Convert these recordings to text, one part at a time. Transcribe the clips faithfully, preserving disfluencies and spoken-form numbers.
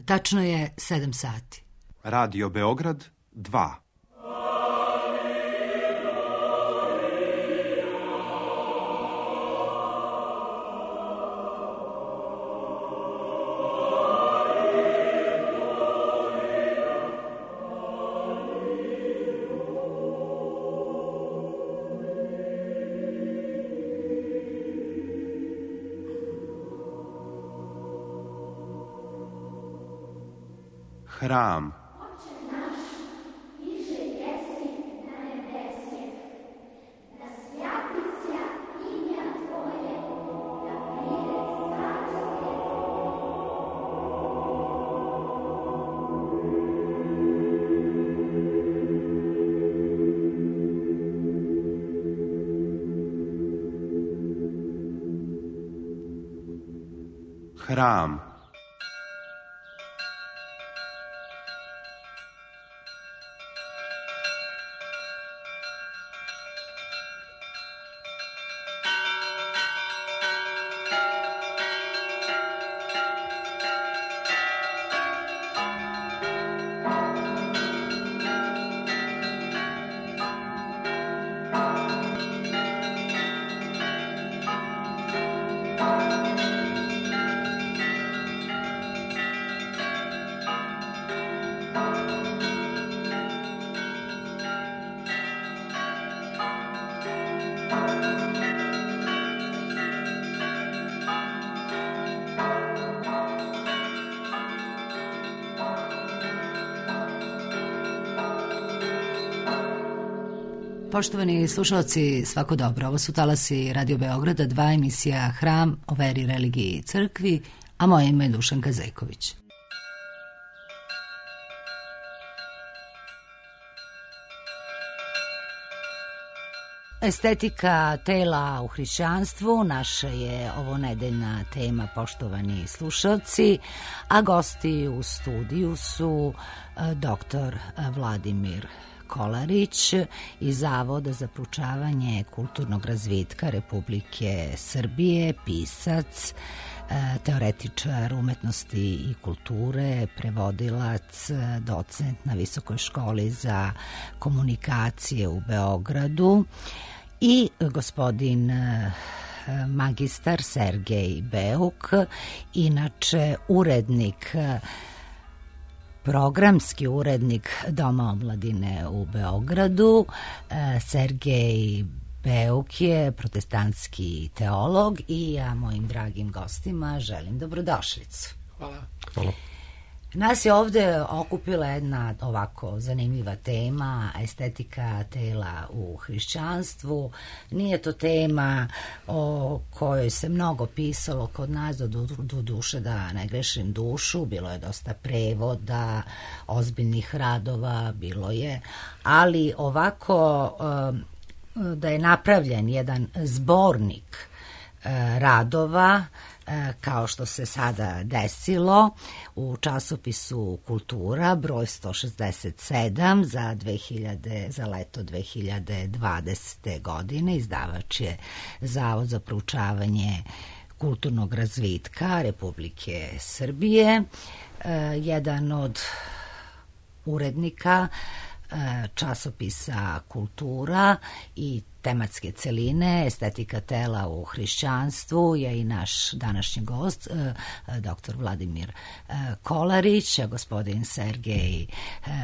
Tačno je sedam sati. Radio Beograd dva. Hram. Hram. Poštovani slušalci, svako dobro. Ovo su talasi Radio Beograda, dva, emisija Hram o veri, religiji i crkvi, a moje ime je Dušanka Zejković. Estetika tela u hrišćanstvu naša je ovo nedeljna tema, poštovani slušalci, a gosti u studiju su doktor Vladimir Kolarić iz Zavoda za proučavanje kulturnog razvitka Republike Srbije, pisac, teoretičar umetnosti i kulture, prevodilac, docent na Visokoj školi za komunikacije u Beogradu i gospodin magistar Sergej Beuk, inače urednik programski urednik Doma omladine u Beogradu. Sergej Beuk je protestantski teolog i ja mojim dragim gostima želim dobrodošlicu. Hvala. Hvala. Nas je ovde okupila jedna ovako zanimljiva tema, estetika tela u hrišćanstvu. Nije to tema o kojoj se mnogo pisalo kod nas, do, do duše da ne grešim dušu, bilo je dosta prevoda, ozbiljnih radova, bilo je, ali ovako da je napravljen jedan zbornik radova, kao što se sada desilo u časopisu Kultura, broj sto šezdeset sedam za, dve hiljade, za leto dve hiljade dvadesete. godine. Izdavač je Zavod za proučavanje kulturnog razvitka Republike Srbije. Jedan od urednika časopisa Kultura i tematske celine, estetika tela u hrišćanstvu je i naš današnji gost, doktor Vladimir Kolarić. Gospodin Sergej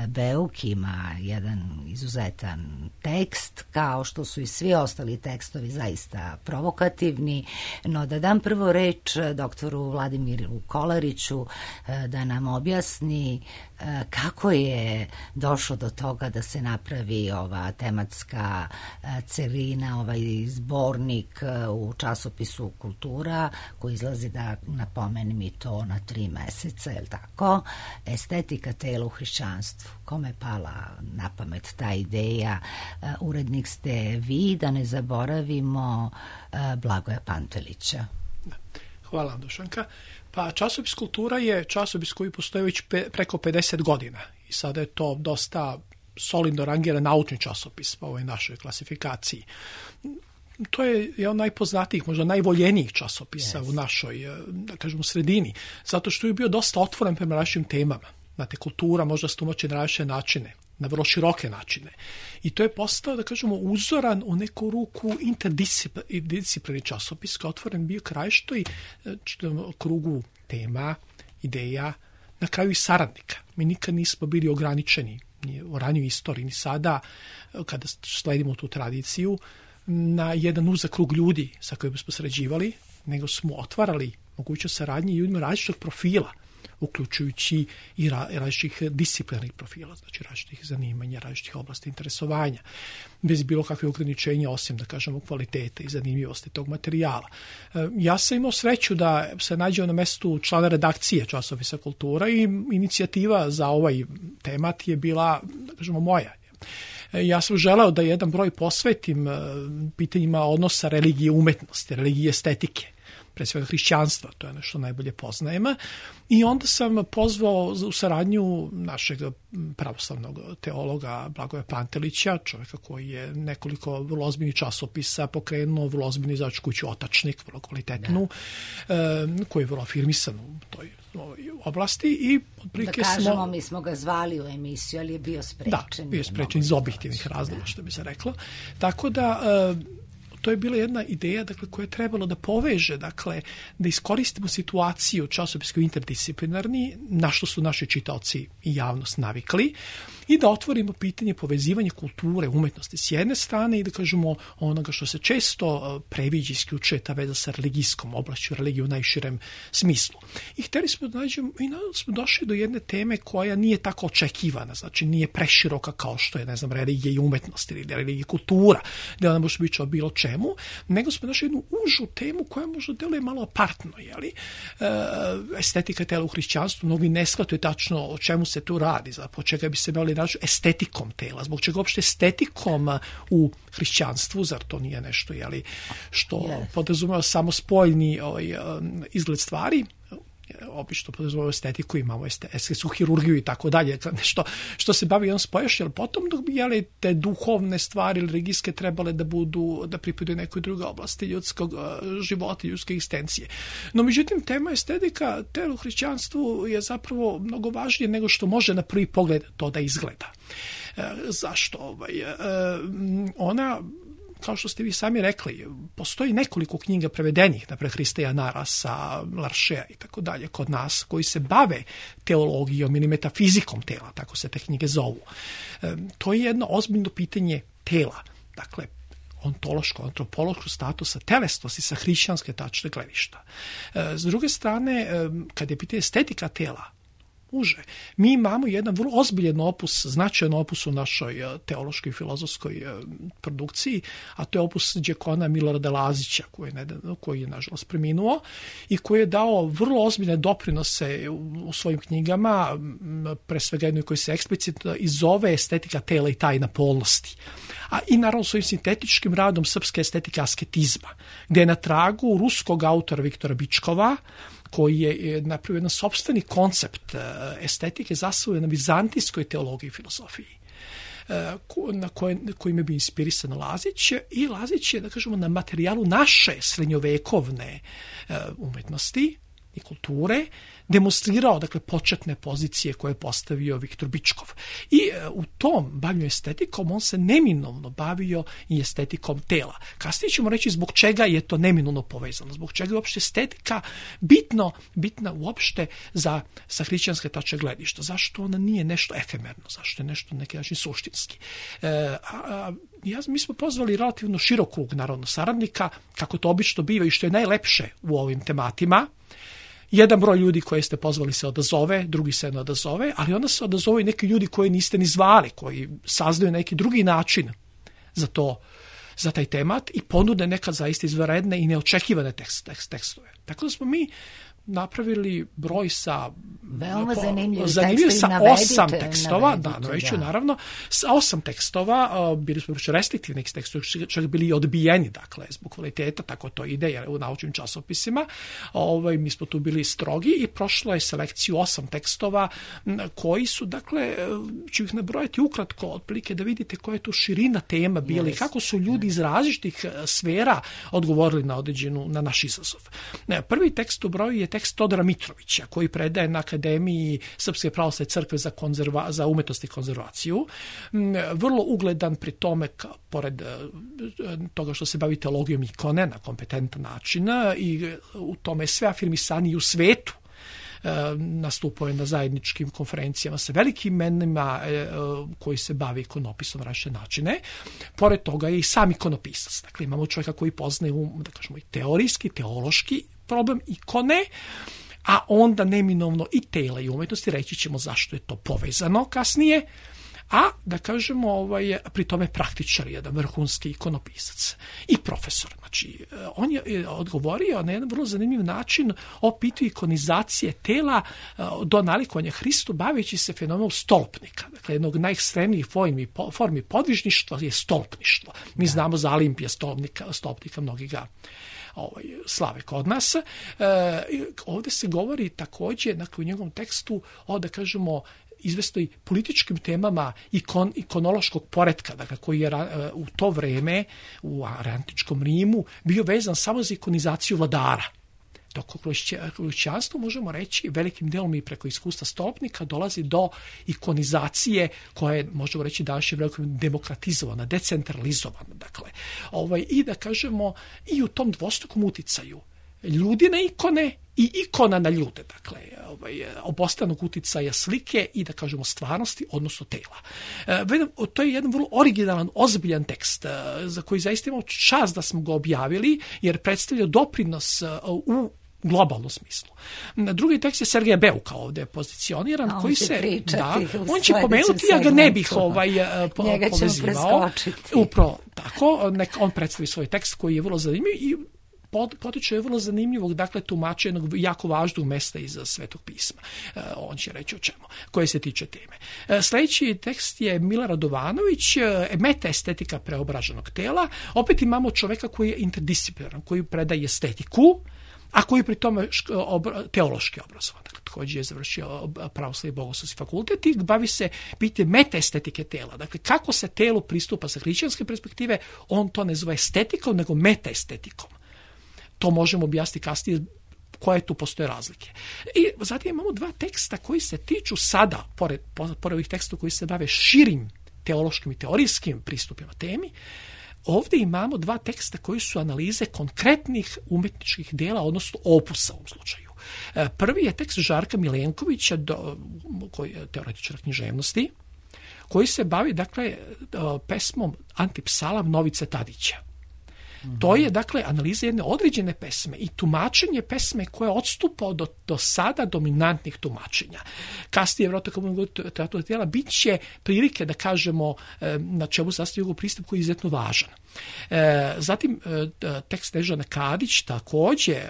Beuk ima jedan izuzetan tekst, kao što su i svi ostali tekstovi zaista provokativni, no da dam prvo reč doktoru Vladimiru Kolariću da nam objasni kako je došlo do toga da se napravi ova tematska celina, ovaj zbornik u časopisu Kultura, koji izlazi, da napomenem i to, na tri meseca, je li tako? Estetika tela u hrišćanstvu. Kome je pala na pamet ta ideja? Urednik ste vi, da ne zaboravimo Blagoja Pantelića. Hvala, Dušanka. Pa časopis Kultura je časopis koji postoji već pe, preko pedeset godina i sada je to dosta solidno rangiran naučni časopis po ovoj našoj klasifikaciji. to je jedan od najpoznatijih, možda najvoljenijih časopisa yes. u našoj, da kažemo, sredini, zato što je bio dosta otvoren prema različitim temama. Znate, kultura možda se tumači na različite načine, na vrlo široke načine. I to je postao, da kažemo, uzoran u neku ruku interdisciplinarni časopis, koji je otvoren bio k različitoj krugu tema, ideja, na kraju i saradnika. Mi nikad nismo bili ograničeni ni u ranijoj istoriji, ni sada, kada sledimo tu tradiciju, na jedan uzak krug ljudi sa kojima smo sarađivali, nego smo otvarali mogućnost saradnje ljudima različitog profila, uključujući i različitih disciplinarnih profila, znači različitih zanimanja, različitih oblasti interesovanja, bez bilo kakve ograničenja, osim, da kažemo, kvalitete i zanimljivosti tog materijala. Ja sam imao sreću da se nađem na mestu člana redakcije časopisa Kultura i inicijativa za ovaj temat je bila, da kažemo, moja. Ja sam želeo da jedan broj posvetim pitanjima odnosa religije i umetnosti, religije i estetike, pre svega hrišćanstva, to je nešto najbolje poznajemo. I onda sam pozvao u saradnju našeg pravoslavnog teologa Blagoja Pantelića, čovjeka koji je nekoliko vrlo ozbiljnih časopisa pokrenuo, vrlo ozbiljni izdavačku kuću Otačnik, vrlo kvalitetnu, da. koji je vrlo afirmisan u toj oblasti. I da kažemo, smo, mi smo ga zvali u emisiju, ali je bio sprečen. Da, bio je sprečen iz objektivnih razloga, što bi se reklo. Tako da to je bila jedna ideja, dakle, koja je trebalo da poveže, dakle, da iskoristimo situaciju časopisku interdisciplinarni, na što su naši čitaoci i javnost navikli, i da otvorimo pitanje povezivanja kulture, umetnosti s jedne strane i da kažemo onoga što se često previđa, isključuje ta veza sa religijskom oblašću, religiju u najširem smislu. I hteli smo da nađemo, i smo došli do jedne teme koja nije tako očekivana, znači nije preširoka kao što je, ne znam, religija i umetnost ili religija i kultura, da ona može biti o bilo čemu, nego smo našli jednu užu temu koja možda deluje malo apartno, jeli? E, estetika tela u hrišćanstvu, mnogi ne shvataju tačno o čemu se tu radi, zapravo čega bi se bavili estetikom tela, zbog čega uopšte estetikom u hrišćanstvu, zar to nije nešto, jeli, što yes. podrazumeva samo spoljni ovaj, izgled stvari, obično podrazumeva estetiku, imamo estetsku hirurgiju i tako dalje, nešto što se bavi jednom spojašnje, ali potom dok bi, jeli, te duhovne stvari ili religijske trebale da budu, da pripadaju nekoj drugoj oblasti ljudskog života, ljudske egzistencije. No, međutim, tema estetika tela u hrišćanstvu je zapravo mnogo važnije nego što može na prvi pogled to da izgleda. E, zašto? Ovaj, e, ona, kao što ste vi sami rekli, postoji nekoliko knjiga prevedenih, naprijed Hristeja Narasa, Laršea i tako dalje kod nas, koji se bave teologijom ili metafizikom tela, tako se te knjige zovu. E, to je jedno ozbiljno pitanje tela, dakle, ontološko, antropološko statusa telesnosti sa hrišćanske tačne gledišta. E, s druge strane, e, kad je pitanje estetika tela, uže. Mi imamo jedan vrlo ozbiljen opus, značajan opus u našoj teološkoj i filozofskoj produkciji, a to je opus đekona Milorada Lazića, koji je, koji je nažalost preminuo i koji je dao vrlo ozbiljne doprinose u, u svojim knjigama, pre svega jednoj koji se eksplicitno i zove Estetika tela i tajna polnosti. A i naravno svojim sintetičkim radom Srpske estetike asketizma, gde je na tragu ruskog autora Viktora Bičkova, koji je napravio jedan sopstveni koncept estetike zasnovan na vizantijskoj teologiji i filozofiji, na koje, kojim je bio inspirisan Lazić, i Lazić je, da kažemo, na materijalu naše srednjovekovne umetnosti i kulture demonstrirao, dakle, početne pozicije koje je postavio Viktor Bičkov. I e, u tom bavljenju estetikom on se neminovno bavio i estetikom tela. Kasnije ćemo reći zbog čega je to neminovno povezano, zbog čega je uopšte estetika bitno, bitna uopšte za, sa hrišćanske tačke gledišta. Zašto ona nije nešto efemerno, zašto je nešto na neki način suštinski. E, a, a, ja, mi smo pozvali relativno širok krug narodno saradnika, kako to obično biva i što je najlepše u ovim tematima. Jedan broj ljudi koje ste pozvali se odazove, drugi se ne odazove, ali onda se odazove i neki ljudi koje niste ni zvali, koji saznaju neki drugi način za to, za taj temat i ponude nekad zaista izvanredne i neočekivane tekst, tekst, tekstove. Tako da smo mi napravili broj sa veoma zanimljivi zanimljiv tekstovi, sa navedite, osam tekstova, navedite, da, naveću, da. naravno, sa osam tekstova, bili smo više restriktivni tekstovi, čak bili odbijeni, dakle, zbog kvaliteta, tako to ide jer u naučnim časopisima. Ovaj, mi smo tu bili strogi i prošlo je selekciju osam tekstova koji su, dakle, ću ih nabrojati ukratko, otprilike da vidite koja je tu širina tema bila i kako su ljudi iz različitih sfera odgovorili na određenu, na naš izazov. Prvi tekst u broju je tekst Todora Mitrovića, koji predaje na Akademiji Srpske pravoslavne crkve za, konzerva, za umetnost i konzervaciju. Vrlo ugledan pri tome, ka, pored toga što se bavi teologijom ikone na kompetentan način i u tome sve afirmisaniji u svetu. Nastupao je na zajedničkim konferencijama sa velikim imenima koji se bavi ikonopisom na različite načine. Pored toga je i sam ikonopisac. Dakle, imamo čovjeka koji poznaje, da kažemo, i teorijski, teološki problem ikone, a onda neminovno i tela i umetnosti, reći ćemo zašto je to povezano kasnije, a da kažemo ovaj, pri tome praktičar, jedan vrhunski ikonopisac i profesor. Znači, on je odgovorio na jedan vrlo zanimljiv način o pitanju ikonizacije tela do nalikovanja Hristu, baveći se fenomenom stolpnika. Dakle, jednog najekstremnijih formi, formi podvižništva je stolpništvo. Mi da. znamo za Olimpija stolpnika, stolpnika, mnogi ga ovaj, slave kod nas. E, ovdje se govori također, dakle, u njegovom tekstu o, da kažemo, izvestoj političkim temama ikon, ikonološkog poretka, dakle, koji je u to vreme u antičkom Rimu bio vezan samo za ikonizaciju vladara. Dok u hrišćanstvu možemo reći velikim delom i preko iskustva stolpnika dolazi do ikonizacije koja je, možemo reći, danas je veliko demokratizovana, decentralizovana. Dakle, ovaj, i da kažemo i u tom dvostrukom uticaju ljudi na ikone i ikona na ljude, dakle, ovaj, obostranog uticaja slike i, da kažemo, stvarnosti, odnosno tela. E, to je jedan vrlo originalan, ozbiljan tekst, za koji zaista imamo čast da smo ga objavili, jer predstavlja doprinos u globalnom smislu. Drugi tekst je Sergeja Beuka ovdje pozicioniran, on koji će se, da, on će pomenuti, ja ga ne bih ovaj, po, njega povezivao. Upravo tako, nek, on predstavi svoj tekst koji je vrlo zanimljiv i potiče je vrlo zanimljivog, dakle, tumača jednog jako važnog mesta iz Svetog pisma. E, on će reći o čemu, koje se tiče teme. E, sljedeći tekst je Mila Radovanović, e, metaestetika preobraženog tela. Opet imamo čovjeka koji je interdisciplinaran, koji predaje estetiku, a koji pri tome obra, teološki obrazovan. Dakle, također je završio pravoslavni bogoslovski fakultet i bavi se pitanjem metaestetike tela. Dakle, kako se telu pristupa sa hrišćanske perspektive, on to ne zove estetikom, nego metaestetikom. To možemo objasniti kasnije koje tu postoje razlike. I zatim imamo dva teksta koji se tiču sada, pored, pored ovih tekstova koji se bave širim teološkim i teorijskim pristupima temi, ovdje imamo dva teksta koji su analize konkretnih umetničkih dela, odnosno opusa u ovom slučaju. Prvi je tekst Žarka Milenkovića, do, koji je teoretičar književnosti, koji se bavi, dakle, pesmom Antipsalam Novice Tadića. To je, dakle, analiza jedne određene pesme i tumačenje pesme koje odstupa do, do sada dominantnih tumačenja. Kasnije, vjerojatno, tijela bit će prilike da kažemo na čemu sastoji njegov pristup koji je izuzetno važan. Zatim, tekst Snežane Kadić, također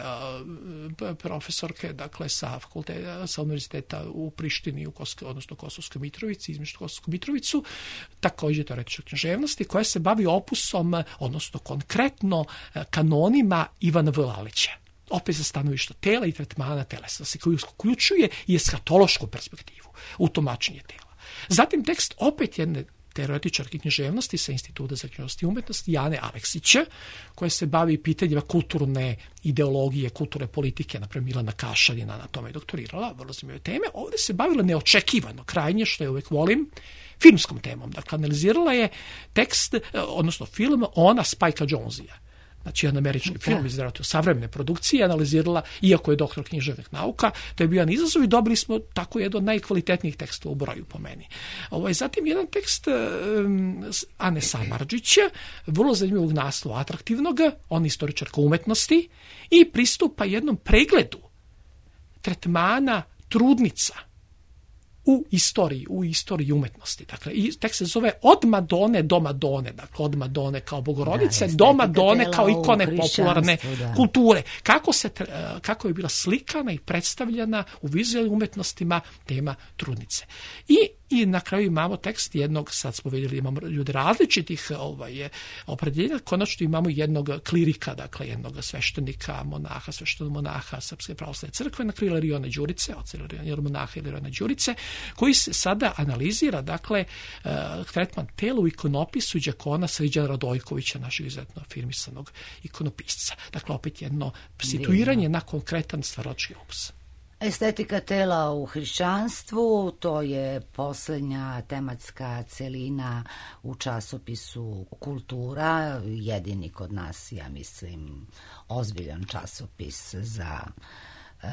profesorke, dakle, sa fakulteta, sa univerziteta u Prištini, u Kosko, odnosno Kosovskoj Mitrovici, između Kosovsku Mitrovicu, također teoretičar književnosti, koja se bavi opusom, odnosno konkretno kanonima Ivana V. Lalića. Opet za stanovište tela i tretmana telesnosti, koji uključuje i eskatološku perspektivu u tumačenje tela. Zatim tekst opet jedne teoretičarke književnosti sa Instituta za književnost i umetnosti Jane Aleksića, koja se bavi pitanjima kulturne ideologije, kulturne politike, naprimjer Milana Kašarina na tome je doktorirala, vrlo zanimljive teme. Ovdje se bavila neočekivano, krajnje, što je uvijek volim, filmskom temom. Dakle, analizirala je tekst, odnosno film Ona Spajka Jonesa. Znači, jedan američki film iz savremene produkcije, analizirala, iako je doktor književnih nauka, to je bio jedan izazov i dobili smo tako jedan od najkvalitetnijih tekstova u broju po meni. Ovo je zatim jedan tekst um, Ane Samardžića, vrlo zanimljivog naslova, atraktivnog, on je istoričarka umetnosti i pristupa jednom pregledu tretmana trudnica u istoriji, u istoriji umetnosti. Dakle, i tekst se zove Od Madone do Madone, dakle od Madone kao Bogorodice Da, do Madone kao estetika ikone tela u popularne hrišćanstvu, da. kulture. Kako, se, tre- kako je bila slikana i predstavljana u vizualnim umetnostima tema trudnice. I I na kraju imamo tekst jednog, sad smo vidjeli, imamo ljudi različitih ovaj, opredeljenja, konačno imamo jednog klirika, dakle jednog sveštenika, monaha, sveštenog monaha Srpske pravoslavne crkve, na kraju Ilariona Đurice, od Ilariona monaha Ilariona Đurice, koji se sada analizira, dakle, uh, tretman tela u ikonopisu đakona Srđana Radojkovića, našeg izuzetno afirmisanog ikonopisca. Dakle, opet jedno situiranje na konkretan stvaralački opus. Estetika tela u hrišćanstvu, to je posljednja tematska celina u časopisu Kultura, jedini kod nas, ja mislim, ozbiljan časopis za e,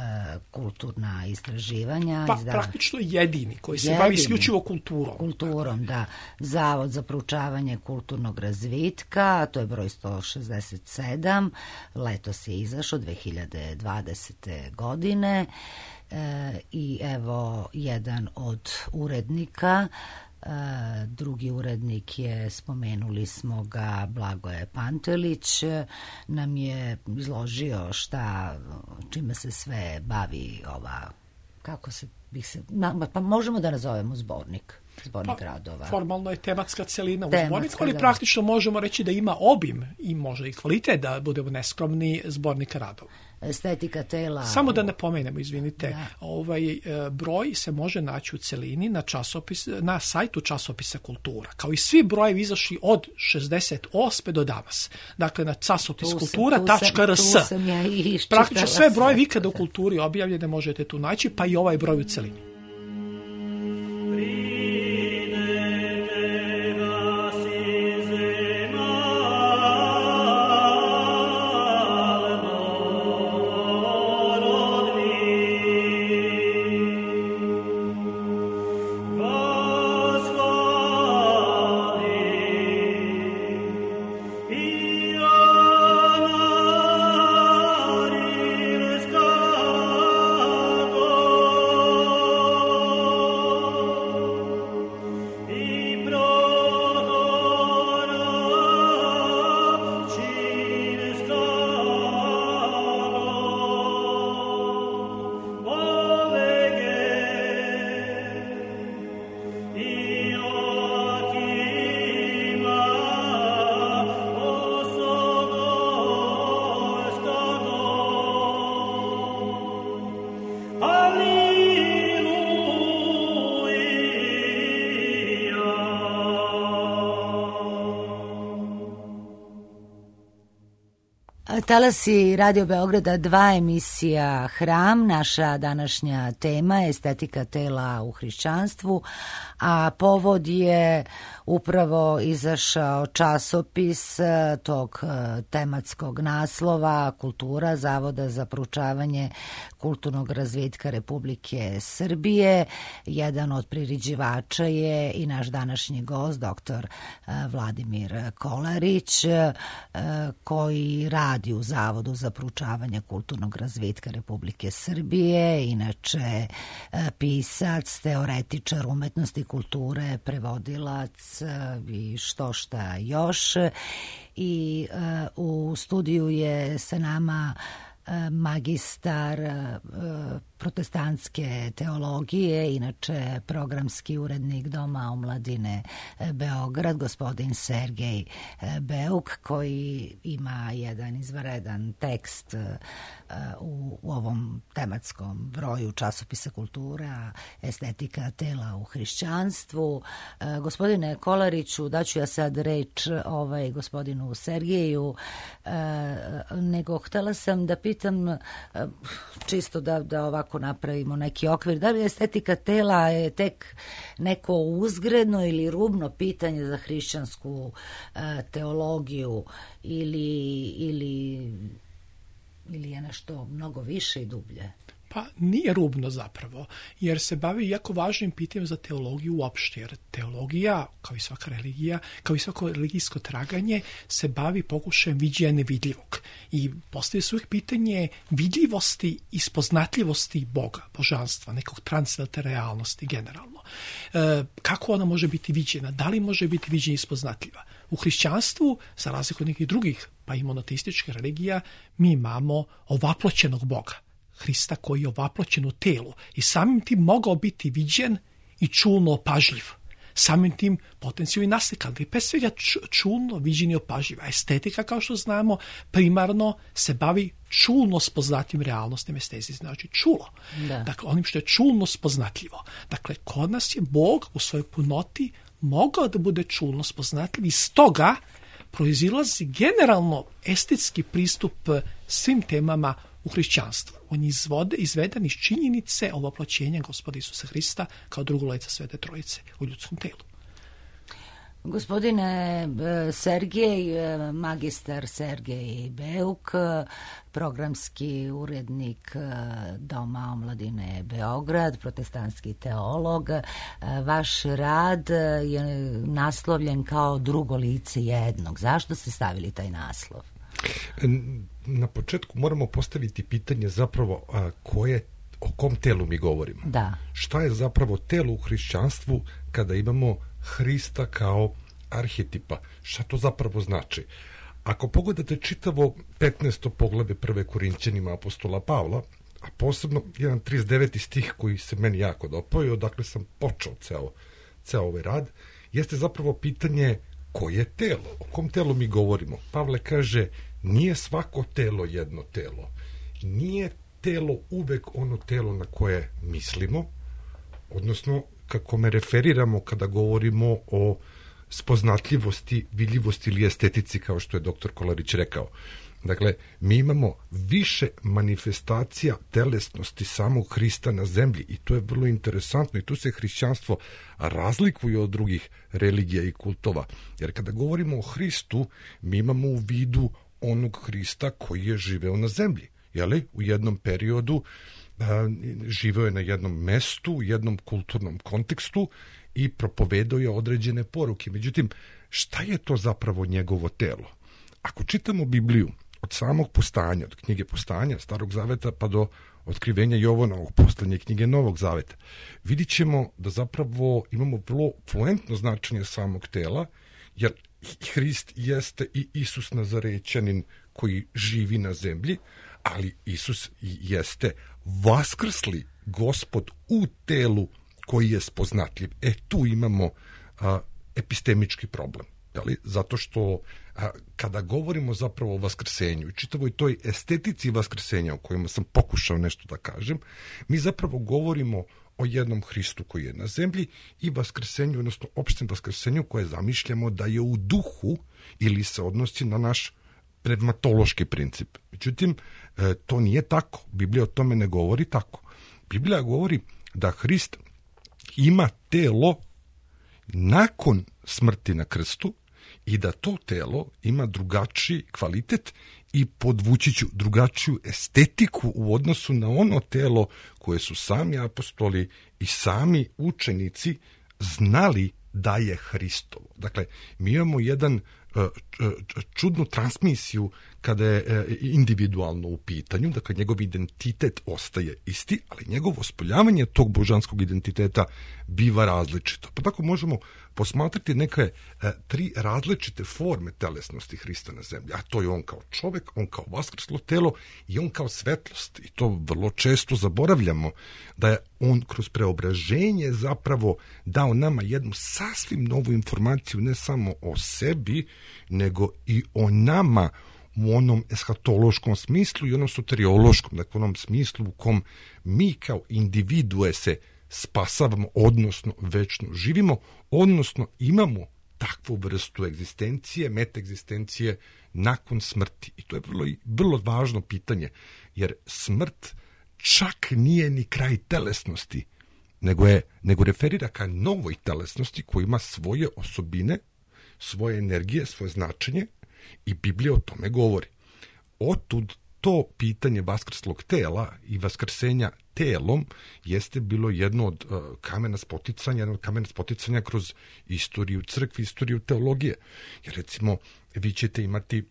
kulturna istraživanja. Pa Izda... praktično jedini koji se jedini. bavi isključivo kulturom. Kulturom, da. Zavod za proučavanje kulturnog razvitka, to je broj sto šezdeset sedam, letos je izašao dve hiljade dvadesete. godine e, i evo jedan od urednika, e, drugi urednik je, spomenuli smo ga, Blagoje Pantelić, nam je izložio šta, čime se sve bavi ova, kako se bih se, pa možemo da nazovemo zbornik. Zbornik pa, radova. Formalno je tematska celina u Tematska, zborniku, ali da. Praktično možemo reći da ima obim i možda i kvalitet, da budemo neskromni, zbornika radova. Estetika tela. Samo da napomenemo, izvinite, da. ovaj broj se može naći u celini na časopis, na sajtu časopisa Kultura, kao i svi brojevi izašli od šezdeset osme do danas. Dakle, na časopis kultura tačka r s. Ja Praktično sve brojevi ikada u kulturi objavljene možete tu naći, pa i ovaj broj u celini. Talasi Radio Beograda dva, emisija Hram. Naša današnja tema je estetika tela u hrišćanstvu, a povod je upravo izašao časopis tog tematskog naslova Kultura, Zavoda za proučavanje kulturnog razvitka Republike Srbije. Jedan od priređivača je i naš današnji gost, doktor Vladimir Kolarić, koji radi u Zavodu za proučavanje kulturnog razvitka Republike Srbije, inače pisac, teoretičar umetnosti, kulture, prevodilac i što šta još. I uh, u studiju je sa nama uh, magistar uh, protestantske teologije, inače programski urednik Doma omladine Beograd, gospodin Sergej Beuk, koji ima jedan izvanredan tekst u, u ovom tematskom broju časopisa Kultura, estetika tela u hrišćanstvu. Gospodine Kolariću, daću ja sad reč ovaj, gospodinu Sergeju, nego htela sam da pitam, čisto da, da ovako napravimo neki okvir, da li estetika tela je tek neko uzgredno ili rubno pitanje za hrišćansku uh, teologiju ili, ili, ili je nešto mnogo više i dublje? Pa nije rubno zapravo, jer se bavi jako važnim pitanjem za teologiju uopšte, jer teologija, kao i svaka religija, kao i svako religijsko traganje, se bavi pokušajem viđenja nevidljivog. I postavlja se uvijek pitanje vidljivosti i spoznatljivosti Boga, božanstva, nekog transcendentne realnosti generalno. E, kako ona može biti viđena? Da li može biti viđena i spoznatljiva? U hrišćanstvu, za razliku od nekih drugih, pa i monoteističkih religija, mi imamo ovaploćenog Boga. Hrista koji je ovaploćen u telu i samim tim mogao biti viđen i čulno opažljiv. Samim tim potencijalno i naslikan, ali pre svega čulno viđen i opažljiv. A estetika, kao što znamo, primarno se bavi čulno spoznatljivim realnostima. Estezi znači čulo. Da. Dakle, onim što je čulno spoznatljivo. Dakle, kod nas je Bog u svojoj punoti mogao da bude čulno spoznatljiv i stoga proizilazi generalno estetski pristup svim temama u hrišćanstvu. On je izvode, izveden iz činjenice ovoploćenja Gospoda Isusa Hrista kao drugolica Svete Trojice u ljudskom telu. Gospodine Sergej, magistar Sergej Beuk, programski urednik Doma omladine Beograd, protestantski teolog, vaš rad je naslovljen kao drugo lice jednog. Zašto ste stavili taj naslov? Na početku moramo postaviti pitanje zapravo a, koje, o kom telu mi govorimo. Da. Šta je zapravo telo u hrišćanstvu kada imamo Hrista kao arhetipa? Šta to zapravo znači? Ako pogledate čitavo petnaesto poglavlje prve Korinćanima apostola Pavla, a posebno jedan trideset deveti stih koji se meni jako dopao, odakle sam počeo ceo, ceo ovaj rad, jeste zapravo pitanje koje je telo, o kom telu mi govorimo. Pavle kaže, nije svako telo jedno telo. Nije telo uvek ono telo na koje mislimo, odnosno kako me referiramo kada govorimo o spoznatljivosti, vidljivosti ili estetici, kao što je doktor Kolarić rekao. Dakle, mi imamo više manifestacija telesnosti samog Hrista na zemlji i to je vrlo interesantno i tu se hrišćanstvo razlikuje od drugih religija i kultova. Jer kada govorimo o Hristu, mi imamo u vidu onog Hrista koji je živeo na zemlji. Jeli? U jednom periodu a, živeo je na jednom mestu, u jednom kulturnom kontekstu i propovedao je određene poruke. Međutim, šta je to zapravo njegovo telo? Ako čitamo Bibliju od samog postanja, od knjige postanja Starog zaveta pa do otkrivenja Jovanovog, poslednje knjige Novog zaveta, vidit ćemo da zapravo imamo vrlo fluentno značenje samog tela, jer Hrist jeste i Isus Nazarećanin koji živi na zemlji, ali Isus jeste vaskrsli Gospod u telu koji je spoznatljiv. E, tu imamo a, epistemički problem. Ali, zato što a, kada govorimo zapravo o vaskrsenju i čitavoj toj estetici vaskrsenja o kojima sam pokušao nešto da kažem, mi zapravo govorimo o jednom Hristu koji je na zemlji i vaskrsenju, odnosno opštem vaskrsenju koje zamišljamo da je u duhu ili se odnosi na naš pneumatološki princip. Međutim, e, to nije tako. Biblija o tome ne govori tako. Biblija govori da Hrist ima telo nakon smrti na krstu i da to telo ima drugačiji kvalitet i podvući ću drugačiju estetiku u odnosu na ono telo koje su sami apostoli i sami učenici znali da je Hristovo. Dakle, mi imamo jedan čudnu transmisiju kada je individualno u pitanju, dakle njegov identitet ostaje isti, ali njegovo spoljavanje tog božanskog identiteta biva različito. Pa tako možemo posmatrati neke tri različite forme telesnosti Hrista na zemlji, a to je on kao čovek, on kao vaskrslo telo i on kao svetlost. I to vrlo često zaboravljamo, da je on kroz preobraženje zapravo dao nama jednu sasvim novu informaciju, ne samo o sebi, nego i o nama u onom eshatološkom smislu i onom soteriološkom, dakle onom smislu u kom mi kao individue se spasavamo, odnosno večno živimo, odnosno imamo takvu vrstu egzistencije, metaegzistencije nakon smrti. I to je vrlo, vrlo važno pitanje, jer smrt čak nije ni kraj telesnosti, nego, je, nego referira ka novoj telesnosti koja ima svoje osobine, svoje energije, svoje značenje i Biblija o tome govori. Otud to pitanje vaskrslog tela i vaskrsenja telom jeste bilo jedno od uh, kamena spoticanja, jedno od kamena spoticanja kroz istoriju crkve, istoriju teologije. Jer recimo, vi ćete imati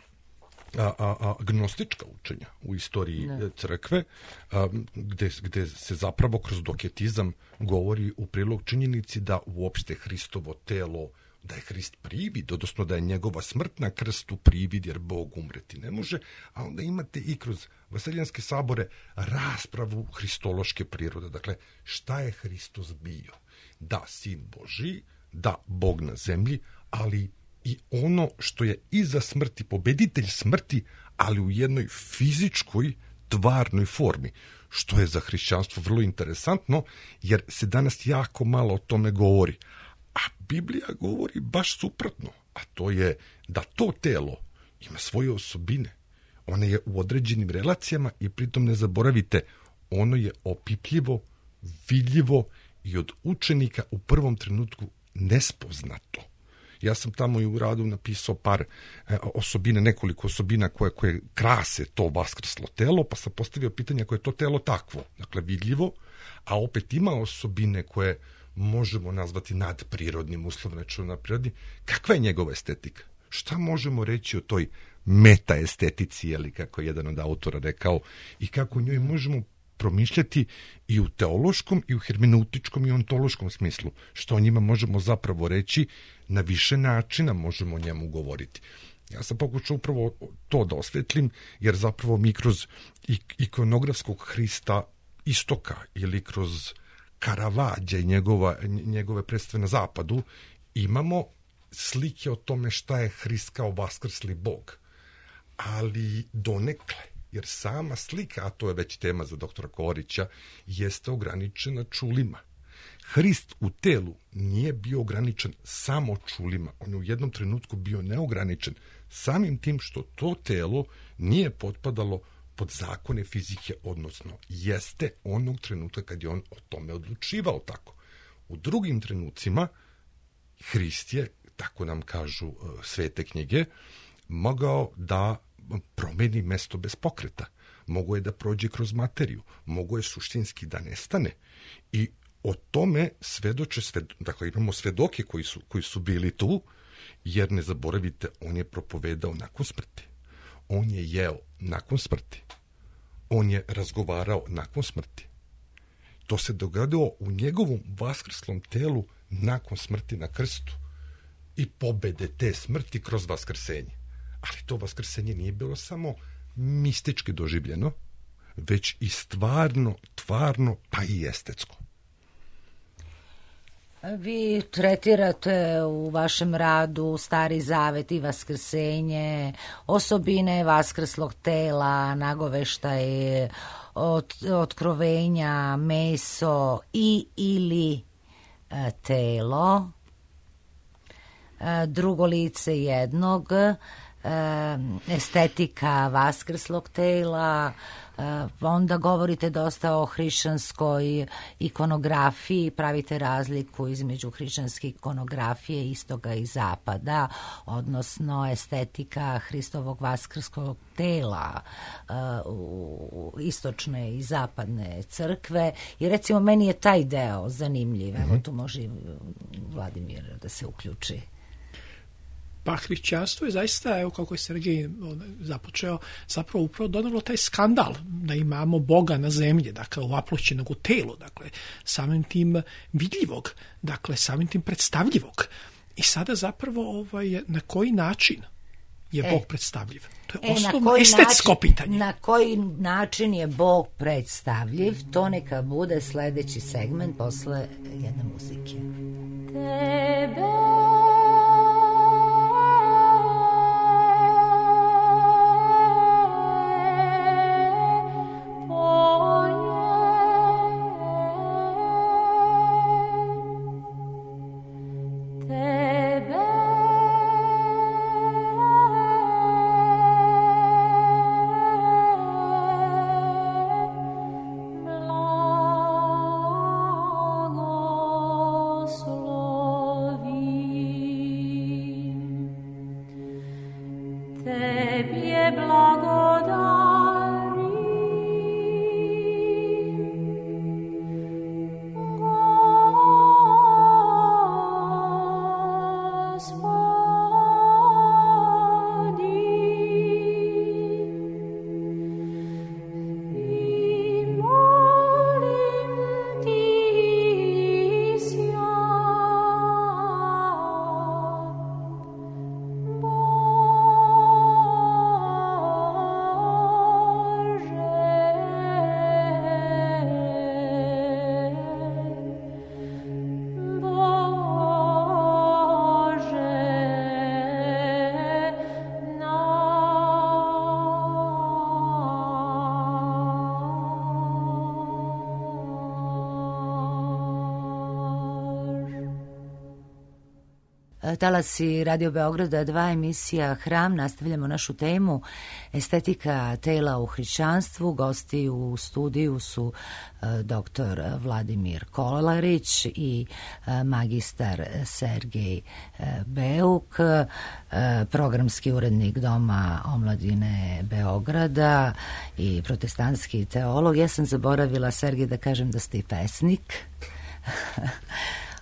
a, a, a, gnostička učenja u istoriji ne. crkve, a, gde, gde se zapravo kroz doketizam govori u prilog činjenici da uopšte Hristovo telo, da je Hrist privid, odnosno da je njegova smrt na krstu privid, jer Bog umreti ne može, a onda imate i kroz vaseljanske sabore raspravu hristološke prirode. Dakle, šta je Hristos bio? Da, sin Božji, da, Bog na zemlji, ali i ono što je iza smrti, pobeditelj smrti, ali u jednoj fizičkoj, tvarnoj formi, što je za hrišćanstvo vrlo interesantno, jer se danas jako malo o tome govori. A Biblija govori baš suprotno, a to je da to telo ima svoje osobine. Ono je u određenim relacijama i pritom ne zaboravite, ono je opipljivo, vidljivo i od učenika u prvom trenutku nespoznato. Ja sam tamo i u radu napisao par e, osobine, nekoliko osobina koje, koje krase to vaskrslo telo, pa sam postavio pitanje koje je to telo takvo, dakle vidljivo, a opet ima osobine koje možemo nazvati nadprirodnim, uslovno rečeno nadprirodnim. Kakva je njegova estetika? Šta možemo reći o toj metaestetici, ili kako je jedan od autora rekao, i kako njoj možemo promišljati i u teološkom, i u hermeneutičkom, i ontološkom smislu. Što o njima možemo zapravo reći, na više načina možemo o njemu govoriti. Ja sam pokušao upravo to da osvetlim, jer zapravo mi kroz ikonografskog Hrista istoka ili kroz Karavađa i njegova, njegove predstave na zapadu imamo slike o tome šta je Hrist kao vaskrsli Bog. Ali donekle, jer sama slika, a to je već tema za doktora Korića, jeste ograničena čulima. Hrist u telu nije bio ograničen samo čulima, on je u jednom trenutku bio neograničen samim tim što to telo nije potpadalo pod zakone fizike, odnosno jeste onog trenutka kad je on o tome odlučivao tako. U drugim trenucima Hrist je, tako nam kažu uh, svete knjige, mogao da promeni mesto bez pokreta. Mogo je da prođe kroz materiju, mogo je suštinski da nestane. I o tome svedoče, sved, dakle imamo svedoke koji su, koji su bili tu, jer ne zaboravite, on je propovedao nakon smrti. On je jeo nakon smrti. On je razgovarao nakon smrti. To se dogodilo u njegovom vaskrslom telu nakon smrti na krstu i pobede te smrti kroz vaskrsenje. Ali to vaskrsenje nije bilo samo mistički doživljeno, već i stvarno, tvarno, pa i estetsko. Vi tretirate u vašem radu Stari Zavet i vaskrsenje, osobine vaskrslog tela, nagoveštaj, od, otkrovenja, meso i ili e, telo, e, drugo lice jednog, e, estetika vaskrslog tela. Onda govorite dosta o hrišćanskoj ikonografiji, pravite razliku između hrišćanske ikonografije istoga i zapada, odnosno estetika Hristovog vaskrskog tela u istočne i zapadne crkve. I recimo meni je taj deo zanimljiv. Evo tu može i Vladimir da se uključi. Pa hrišćanstvo je zaista, evo kako je Sergej započeo, zapravo upravo donalo taj skandal da imamo Boga na zemlji, dakle ovaploćenog u telu, dakle samim tim vidljivog, dakle samim tim predstavljivog. I sada zapravo ovaj, na koji način je e, Bog predstavljiv? To je e, osnovno estetsko način, pitanje. Na koji način je Bog predstavljiv, to neka bude sledeći segment posle jedne muzike. Tebe Tebie blagodat talasi Radio Beograda dva, emisija Hram. Nastavljamo našu temu estetika tela u hrišćanstvu. Gosti u studiju su doktor Vladimir Kolarić i magistar Sergej Beuk, programski urednik Doma omladine Beograda i protestantski teolog. Ja sam zaboravila, Sergej, da kažem da ste i pesnik.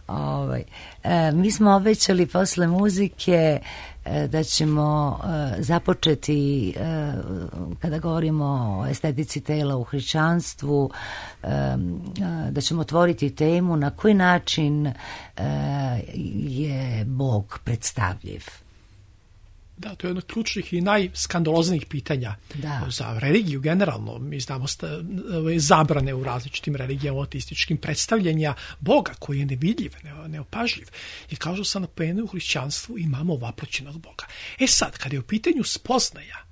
Ovaj, e, mi smo obećali posle muzike e, da ćemo e, započeti e, kada govorimo o estetici tela u hrišćanstvu, e, e, da ćemo otvoriti temu na koji način e, je Bog predstavljiv. Da, to je jedno od ključnih i najskandaloznijih pitanja da. Za religiju generalno. Mi znamo sta, zabrane u različitim religijama, ateističkim predstavljenja Boga koji je nevidljiv, neopažljiv. I kao što sam napomenuo, u hrišćanstvu imamo vaproćenog Boga. E sad, kada je u pitanju spoznaja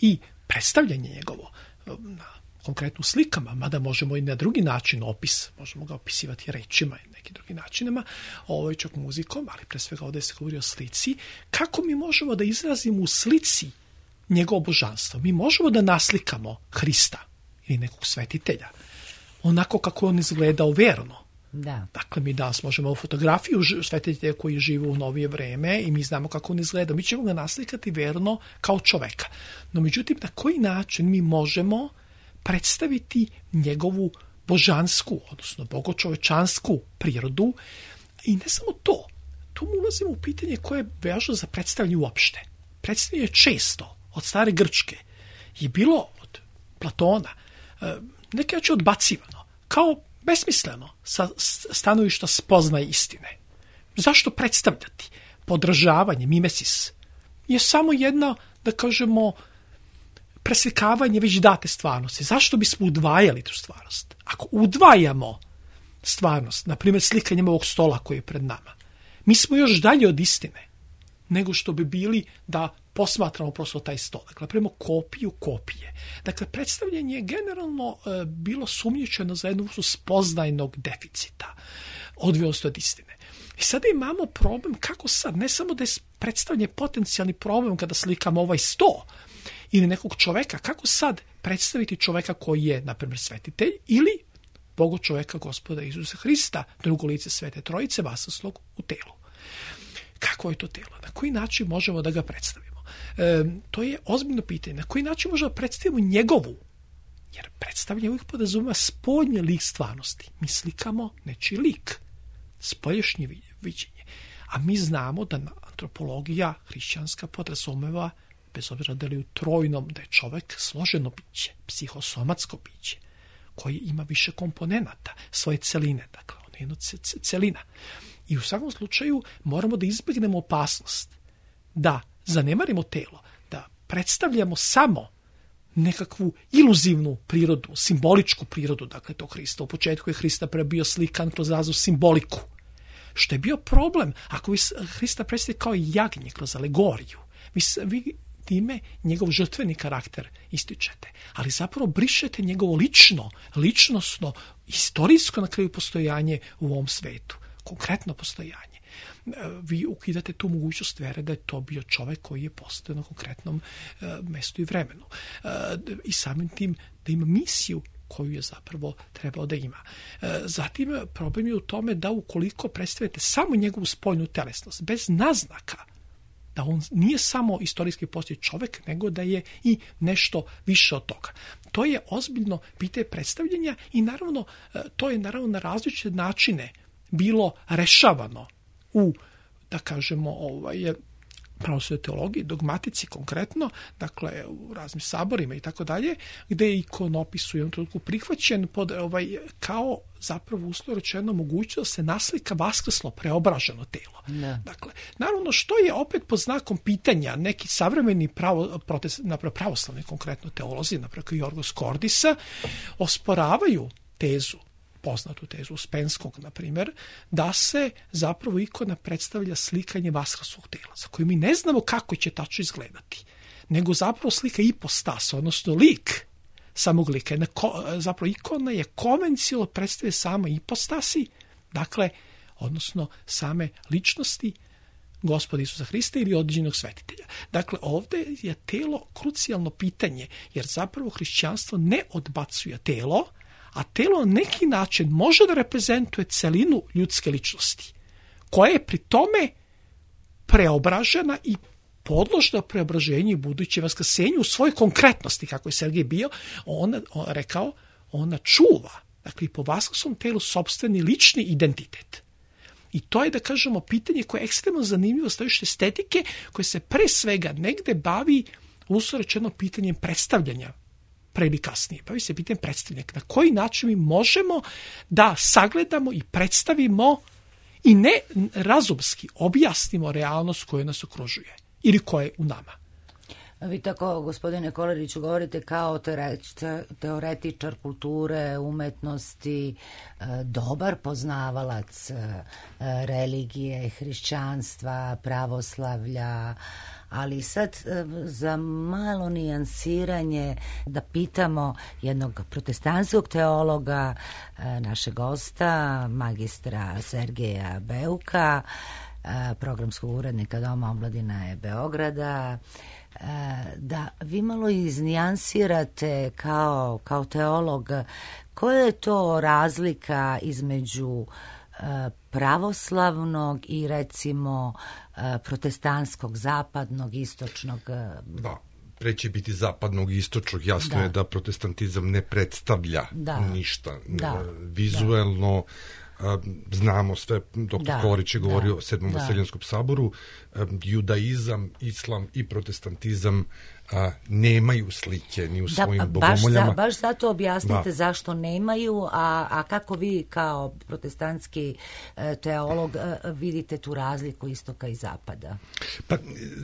i predstavljanje njegovo na konkretno slikama, mada možemo i na drugi način opis, možemo ga opisivati rečima i nekim drugim načinima, ovo je čak muzikom, ali pre svega ovdje se govori o slici, kako mi možemo da izrazimo u slici njegovo božanstvo. Mi možemo da naslikamo Hrista ili nekog svetitelja, onako kako on izgledao verno. Da. Dakle, mi danas možemo u fotografiju svetitelja koji žive u novije vreme i mi znamo kako on izgleda. Mi ćemo ga naslikati verno kao čoveka. No, međutim, na koji način mi možemo predstaviti njegovu božansku, odnosno bogočovečansku prirodu. I ne samo to, tu mu ulazimo u pitanje koje je važno za predstavljanje uopšte. Predstavljanje često od stare Grčke je bilo od Platona neke način odbacivano, kao besmisleno sa stanovišta spoznaje istine. Zašto predstavljati? Podražavanje, mimesis, je samo jedna, da kažemo, preslikavanje već date stvarnosti. Zašto bismo udvajali tu stvarnost? Ako udvajamo stvarnost, na primjer slikanjem ovog stola koji je pred nama, mi smo još dalje od istine nego što bi bili da posmatramo prosto taj stol. Dakle, napravimo kopiju kopije. Dakle, predstavljanje je generalno e, bilo sumnjičeno za jednu vrstu spoznajnog deficita, odvijelosti od istine. I sada imamo problem kako sad, ne samo da je predstavljanje potencijalni problem kada slikamo ovaj sto, ili nekog čoveka, kako sad predstaviti čoveka koji je, na primjer, svetitelj ili Bogo čoveka Gospoda Isusa Hrista, drugo lice Svete Trojice, vasaslog u telu. Kako je to telo? Na koji način možemo da ga predstavimo? E, to je ozbiljno pitanje. Na koji način možemo da predstavimo njegovu? Jer predstavljanje uvijek podrazumeva spoljni lik stvarnosti. Mi slikamo nečiji lik, spolješnje viđenje. A mi znamo da antropologija hrišćanska podrazumeva, bez obzira da li u trojnom, da je čovek složeno biće, psihosomatsko biće, koji ima više komponenata, svoje celine, dakle, ono je jedno celina. I u svakom slučaju moramo da izbjegnemo opasnost, da zanemarimo telo, da predstavljamo samo nekakvu iluzivnu prirodu, simboličku prirodu, dakle, tog Hrista. U početku je Hrista prebio slikan kroz raznu simboliku, što je bio problem ako vi Hrista predstavite kao jagnje kroz alegoriju. Vi, vi time njegov žrtveni karakter ističete, ali zapravo brišete njegovo lično, ličnosno, istorijsko na kraju postojanje u ovom svetu, konkretno postojanje. Vi ukidate tu mogućnost vere da je to bio čovjek koji je postojao na konkretnom uh, mestu i vremenu. Uh, I samim tim da ima misiju koju je zapravo trebao da ima. Uh, zatim problem je u tome da ukoliko predstavite samo njegovu spoljnu telesnost, bez naznaka da on nije samo istorijski postoji čovjek, nego da je i nešto više od toga. To je ozbiljno pitanje predstavljanja i naravno to je naravno na različite načine bilo rešavano u, da kažemo, ovaj, pravoslavnoj teologiji, dogmatici konkretno, dakle u raznim saborima i tako dalje, gde je ikonopis u jednom trenutku prihvaćen pod, ovaj, kao zapravo uslovno rečeno mogućnost da se naslika vaskrslo preobraženo telo. Ne. Dakle, naravno što je opet pod znakom pitanja neki savremeni pravo, protest, napravo pravoslavni konkretno teolozi, napravo Jorgos Kordisa, osporavaju tezu, poznatu tezu Uspenskog, na primjer, da se zapravo ikona predstavlja slikanje vaskrslog tela, za koju mi ne znamo kako će tačno izgledati, nego zapravo slika ipostas, odnosno lik samog lika. Zapravo ikona je konvencionalno predstavlja samo ipostasi, dakle, odnosno same ličnosti Gospoda Isusa Hrista ili određenog svetitelja. Dakle, ovdje je telo krucijalno pitanje, jer zapravo hrišćanstvo ne odbacuje telo, a telo na neki način može da reprezentuje celinu ljudske ličnosti, koja je pri tome preobražena i podložna preobraženju i buduće vaskrsenju u svojoj konkretnosti, kako je Sergej bio, on, on rekao, ona čuva, dakle i po vaskrsnom telu sopstveni lični identitet. I to je, da kažemo, pitanje koje je ekstremno zanimljivo stojište estetike, koje se pre svega negde bavi, uslovno rečeno, pitanjem predstavljanja, pre ili kasnije. Bavi se pitanjem predstavljanja. Na koji način mi možemo da sagledamo i predstavimo i ne razumski objasnimo realnost koja nas okružuje ili koja je u nama. Vi tako, gospodine Kolariću, govorite kao teoretičar kulture, umetnosti, dobar poznavalac religije, hrišćanstva, pravoslavlja, ali sad za malo nijansiranje da pitamo jednog protestantskog teologa, našeg gosta, magistra Sergeja Beuka, programskog urednika Doma omladine Beograda, da vi malo iznijansirate kao, kao teolog koja je to razlika između pravoslavnog i recimo protestantskog, zapadnog, istočnog. Da, pre će biti zapadnog i istočnog. Jasno da. je da protestantizam ne predstavlja da. ništa. Da. Vizuelno da. znamo sve, doktor Kolarić je govorio da, o sedmom da. Vaseljanskom saboru, judaizam, islam i protestantizam a, nemaju slike ni u da, svojim bogomoljama. Baš, baš zato objasnite da. zašto nemaju, a, a kako vi kao protestantski teolog vidite tu razliku istoka i zapada? Pa,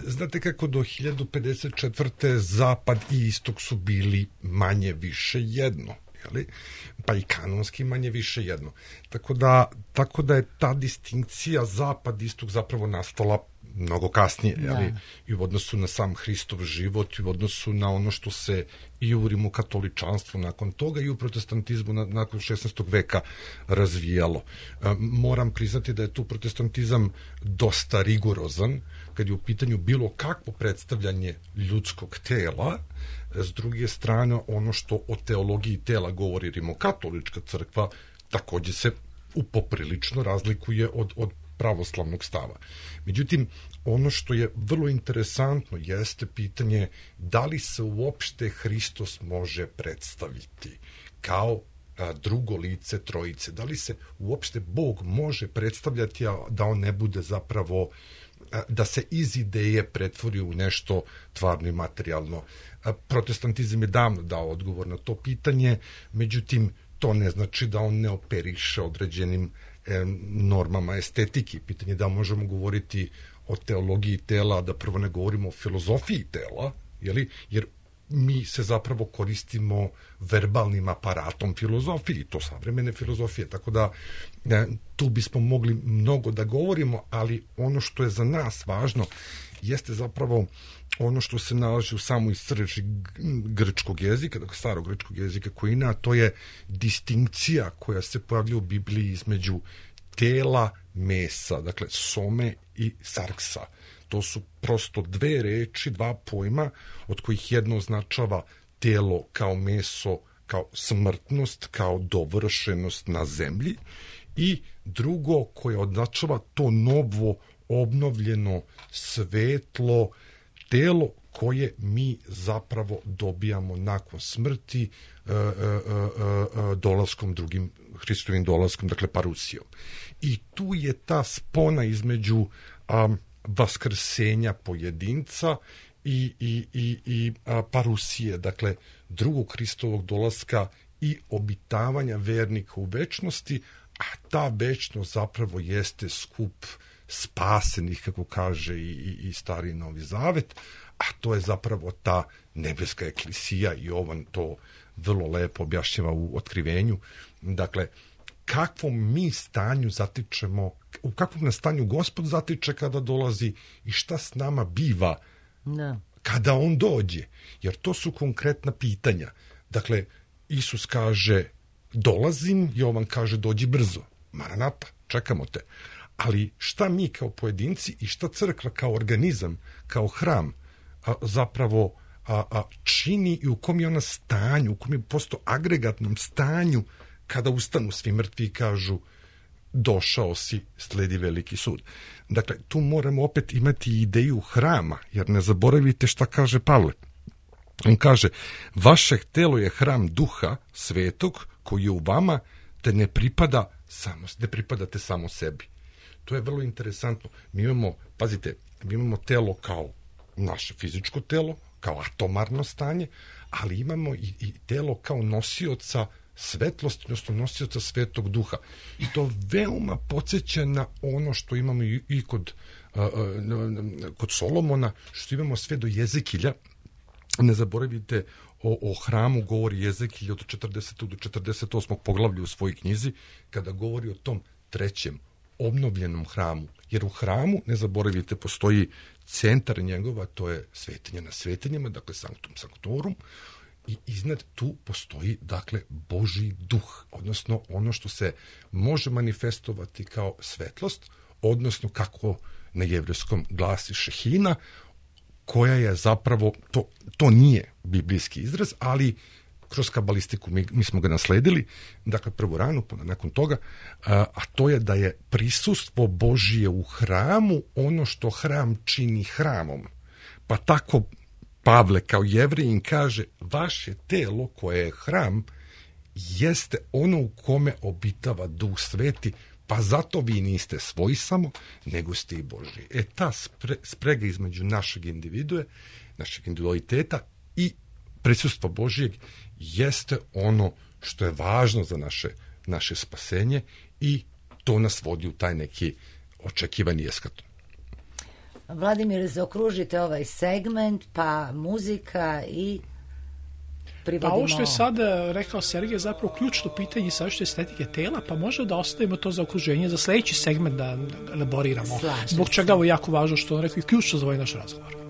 znate kako do hiljadu pedeset četvrte zapad i istok su bili manje više jedno. Pa i kanonski manje više jedno. Tako da, tako da je ta distinkcija zapad-istok zapravo nastala mnogo kasnije, jeli? I u odnosu na sam Hristov život, i u odnosu na ono što se i u rimokatoličanstvu nakon toga i u protestantizmu na, nakon šesnaestog veka razvijalo. E, moram priznati da je tu protestantizam dosta rigorozan kad je u pitanju bilo kakvo predstavljanje ljudskog tela. S druge strane, ono što o teologiji tela govori rimokatolička crkva takođe se upoprilično razlikuje od, od pravoslavnog stava. Međutim, ono što je vrlo interesantno jeste pitanje da li se uopšte Hristos može predstaviti kao a, drugo lice trojice. Da li se uopšte Bog može predstavljati, a da on ne bude zapravo, a, da se iz ideje pretvori u nešto tvarno i materijalno. A, protestantizam je davno dao odgovor na to pitanje, međutim, to ne znači da on ne operiše određenim normama estetike. Pitanje je da možemo govoriti o teologiji tela, da prvo ne govorimo o filozofiji tela, jeli? Jer mi se zapravo koristimo verbalnim aparatom filozofiji, to savremene filozofije, tako da ne, tu bismo mogli mnogo da govorimo, ali ono što je za nas važno jeste zapravo ono što se nalazi u samoj srži grčkog jezika, dakle starog grčkog jezika koji ima, to je distinkcija koja se pojavlja u Bibliji između tela, mesa, dakle some i sarksa. To su prosto dve reči, dva pojma, od kojih jedno označava telo kao meso, kao smrtnost, kao dovršenost na zemlji, i drugo koje označava to novo, obnovljeno, svetlo telo koje mi zapravo dobijamo nakon smrti e, e, e, dolaskom drugim, Hristovim dolaskom, dakle parusijom. I tu je ta spona između a, vaskrsenja pojedinca i, i, i, i a, parusije, dakle drugog Hristovog dolaska i obitavanja vernika u večnosti, a ta večnost zapravo jeste skup spasenih, kako kaže i, i, i Stari Novi Zavet, a to je zapravo ta nebeska eklisija, i Jovan to vrlo lepo objašnjava u Otkrivenju. Dakle, kakvom mi stanju zatičemo, u kakvom nas stanju Gospod zatiče kada dolazi i šta s nama biva no. kada on dođe, jer to su konkretna pitanja. Dakle, Isus kaže dolazim, Jovan kaže dođi brzo, Maranata, čekamo te. Ali šta mi kao pojedinci i šta crkva kao organizam, kao hram a, zapravo a, a, čini i u kom je ona stanju, u kom je posto agregatnom stanju kada ustanu svi mrtvi i kažu došao si, sledi veliki sud. Dakle, tu moramo opet imati ideju hrama, jer ne zaboravite šta kaže Pavle. On kaže, vaše telo je hram duha svetog koji je u vama, te ne pripada samo, ne pripadate samo sebi. To je vrlo interesantno. Mi imamo, pazite, mi imamo telo kao naše fizičko telo, kao atomarno stanje, ali imamo i, i telo kao nosioca svetlosti, odnosno nosioca svetog duha. I to veoma podsjeća na ono što imamo i, i kod, uh, uh, kod Solomona, što imamo sve do Jezekilja. Ne zaboravite, o, o hramu govori Jezekilj od četrdesetog do četrdeset osmog poglavlja u svojoj knjizi, kada govori o tom trećem obnovljenom hramu. Jer u hramu, ne zaboravite, postoji centar njegova, to je svetinja na svetinjama, dakle sanctum sanctorum, i iznad tu postoji, dakle, Božji duh, odnosno ono što se može manifestovati kao svetlost, odnosno kako na jevrejskom glasi šehina, koja je zapravo, to, to nije biblijski izraz, ali kroz kabalistiku mi, mi smo ga nasledili, dakle prvo rano, pa nakon toga, a, a to je da je prisustvo Božije u hramu ono što hram čini hramom. Pa tako Pavle kao Jevrejin kaže, vaše telo koje je hram jeste ono u kome obitava Duh Sveti, pa zato vi niste svoji samo, nego ste i Božji. E ta spre, sprega između našeg individue, našeg individualiteta i prisustva Božijeg jeste ono što je važno za naše, naše spasenje i to nas vodi u taj neki očekivani eskaton. Vladimir, zaokružite ovaj segment, pa muzika i privodimo... Pa ovo što je sad rekao Sergej, zapravo ključno pitanje savršene estetike tela, pa možda da ostavimo to za okruženje, za sledeći segment da elaboriramo. Slažem Zbog čega se. ovo je jako važno što on rekao i ključno za ovaj naš razgovor.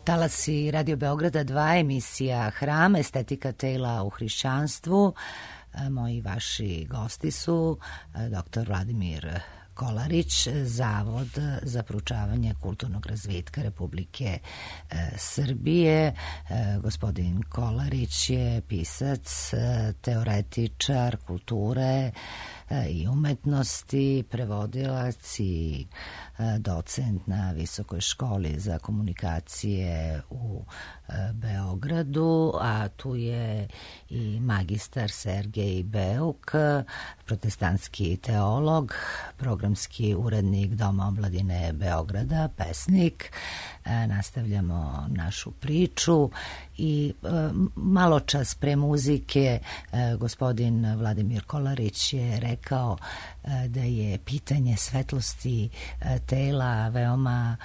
Talasi Radio Beograda dva, emisija Hram, estetika tela u hrišćanstvu. Moji vaši gosti su doktor Vladimir Kolarić, Zavod za proučavanje kulturnog razvitka Republike Srbije. Gospodin Kolarić je pisac, teoretičar kulture, i umetnosti, prevodilac i docent na Visokoj školi za komunikacije u Beogradu, a tu je i magistar Sergej Beuk, protestantski teolog, programski urednik Doma omladine Beograda, pesnik. Nastavljamo našu priču i malo čas pre muzike gospodin Vladimir Kolarić je rekao da je pitanje svetlosti tela veoma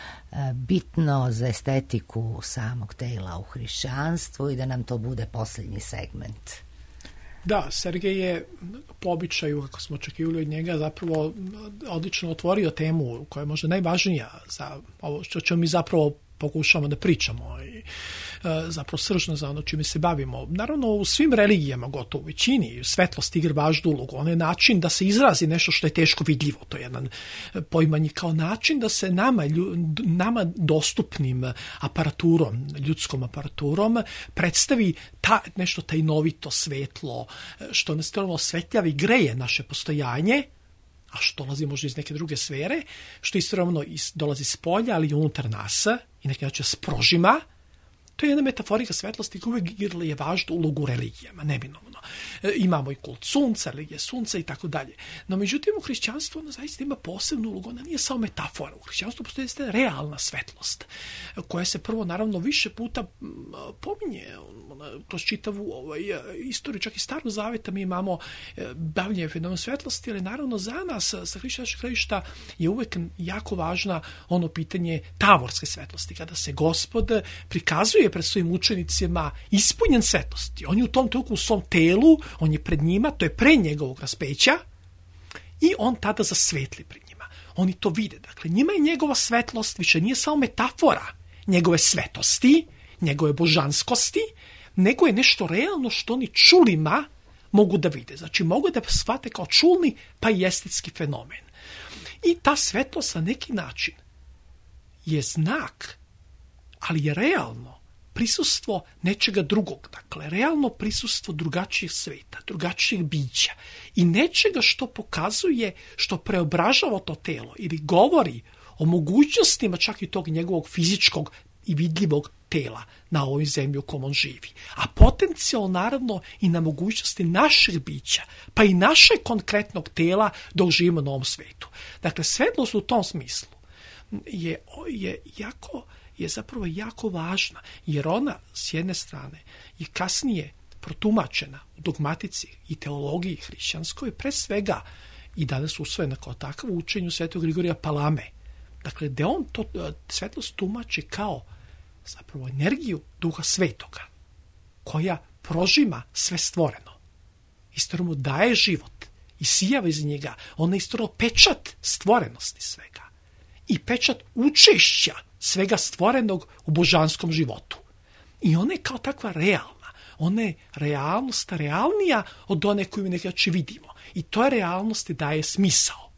bitno za estetiku samog tela u hrišćanstvu i da nam to bude posljednji segment. Da, Sergej je po običaju, kako smo očekivali od njega, zapravo odlično otvorio temu koja je možda najvažnija za ovo što ćemo mi zapravo pokušamo da pričamo i e, zapravo sržno za ono čime se bavimo. Naravno, u svim religijama, gotovo u većini, svetlost igra važnu ulogu. On je način da se izrazi nešto što je teško vidljivo. To je jedan poimanje kao način da se nama, nama dostupnim aparaturom, ljudskom aparaturom, predstavi ta, nešto tajnovito, svetlo, što nas stvarno osvetljavi, greje naše postojanje, a što dolazi možda iz neke druge sfere, što istovremeno dolazi s polja, ali i unutar nas, i neki način sprožima. To je jedna metaforika svetlosti koja uvijek igrala je važnu ulogu u religijama, neminovno. E, imamo i kult sunca, religije sunca i tako dalje. No, međutim, u hrišćanstvu ona zaista ima posebnu ulogu, ona nije samo metafora. U hrišćanstvu postoji realna svetlost, koja se prvo, naravno, više puta pominje kroz čitavu ovaj, istoriju, čak i Starog zaveta mi imamo bavljenje fenomenom svetlosti, ali naravno za nas sa hrišćanskog gledišta je uvek jako važna ono pitanje tavorske svetlosti, kada se Gospod prikazuje pred svojim učenicima ispunjen svetlosti. On je u tom trenutku u svom telu, on je pred njima, to je pre njegovog raspeća i on tada zasvetli pred njima. Oni to vide. Dakle, njima je njegova svetlost više nije samo metafora njegove svetosti, njegove božanskosti, nego je nešto realno što oni čulima mogu da vide. Znači, mogu da shvate kao čulni pa i estetski fenomen. I ta svetlost na neki način je znak, ali je realno prisustvo nečega drugog. Dakle, realno prisustvo drugačijeg sveta, drugačijeg bića i nečega što pokazuje, što preobražava to telo ili govori o mogućnostima čak i tog njegovog fizičkog i vidljivog tela na ovoj zemlji u kom on živi. A potencijalno naravno i na mogućnosti našeg bića, pa i našeg konkretnog tela dok živimo na ovom svetu. Dakle, svetlost u tom smislu je, je jako je zapravo jako važna, jer ona s jedne strane je kasnije protumačena u dogmatici i teologiji hrišćanskoj, pre svega i danas usvojena kao takav u učenju Svetog Grigorija Palame. Dakle, da on to svetlost tumači kao zapravo energiju Duha Svetoga, koja prožima sve stvoreno. Istovremeno daje život i sijava iz njega. Ona je istovremeno pečat stvorenosti svega i pečat učešća svega stvorenog u božanskom životu. I ona je kao takva realna. Ona je realnost realnija od one koju nekako vidimo. I toj realnosti daje smisao.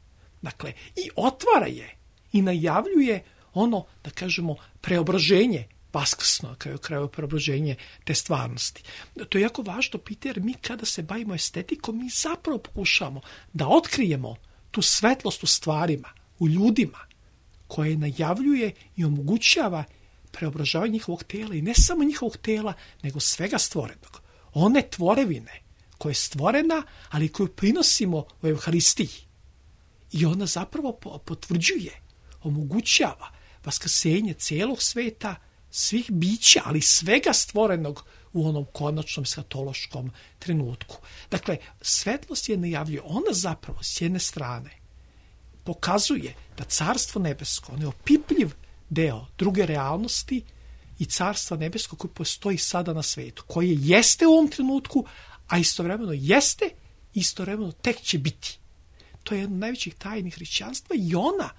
Dakle, i otvara je i najavljuje ono, da kažemo, preobraženje vaskrsno, kao kraju preobraženje te stvarnosti. To je jako važno pitanje, jer mi kada se bavimo estetikom, mi zapravo pokušamo da otkrijemo tu svetlost u stvarima, u ljudima, koje najavljuje i omogućava preobražavanje njihovog tela i ne samo njihovog tela, nego svega stvorenog. One tvorevine koja je stvorena, ali koju prinosimo u Evharistiji. I ona zapravo potvrđuje, omogućava vaskrsenje celog sveta, svih bića, ali svega stvorenog u onom konačnom skatološkom trenutku. Dakle, svetlost je najavljuje. Ona zapravo s jedne strane pokazuje da Carstvo nebesko, on je opipljiv deo druge realnosti i Carstva nebesko koje postoji sada na svetu, koje jeste u ovom trenutku, a istovremeno jeste, istovremeno tek će biti. To je jedna od najvećih tajni hrišćanstva i ona,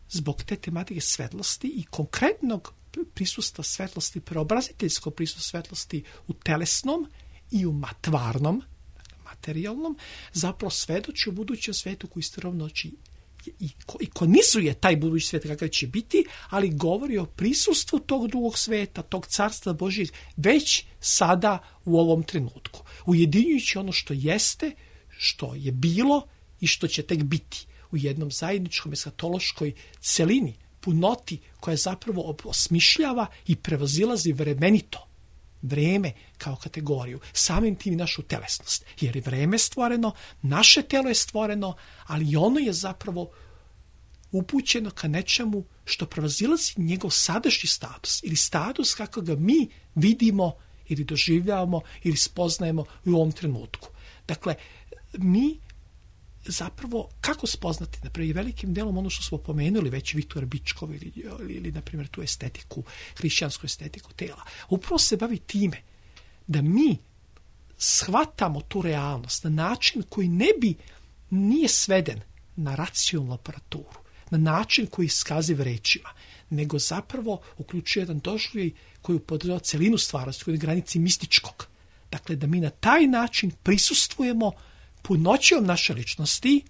zbog te tematike svetlosti i konkretnog prisustva svetlosti, preobraziteljskog prisustva svetlosti u telesnom i u matvarnom, materijalnom, zapravo svedoči u budućem svetu koji istovremeno ikonizuje taj budući svijet kakav će biti, ali govori o prisustvu tog drugog sveta, tog carstva Božijeg, već sada u ovom trenutku. Ujedinjujući ono što jeste, što je bilo i što će tek biti u jednom zajedničkom eskatološkoj celini, punoti koja zapravo osmišljava i prevazilazi vremenito vreme kao kategoriju, samim tim i našu telesnost. Jer je vreme stvoreno, naše telo je stvoreno, ali ono je zapravo upućeno ka nečemu što prevazilazi njegov sadašnji status ili status kako ga mi vidimo ili doživljavamo ili spoznajemo u ovom trenutku. Dakle, mi zapravo, kako spoznati, naprimjer, velikim delom ono što smo pomenuli već Viktor Bičkov ili, ili, ili, na primjer, tu estetiku, hrišćansku estetiku tela, upravo se bavi time da mi shvatamo tu realnost na način koji ne bi nije sveden na racionalnu aparaturu, na način koji iskaziv rečima, nego zapravo uključuje jedan doživljaj koji upodržava celinu stvarnosti, koji je na granici mističkog. Dakle, da mi na taj način prisustvujemo punoćom naše ličnosti,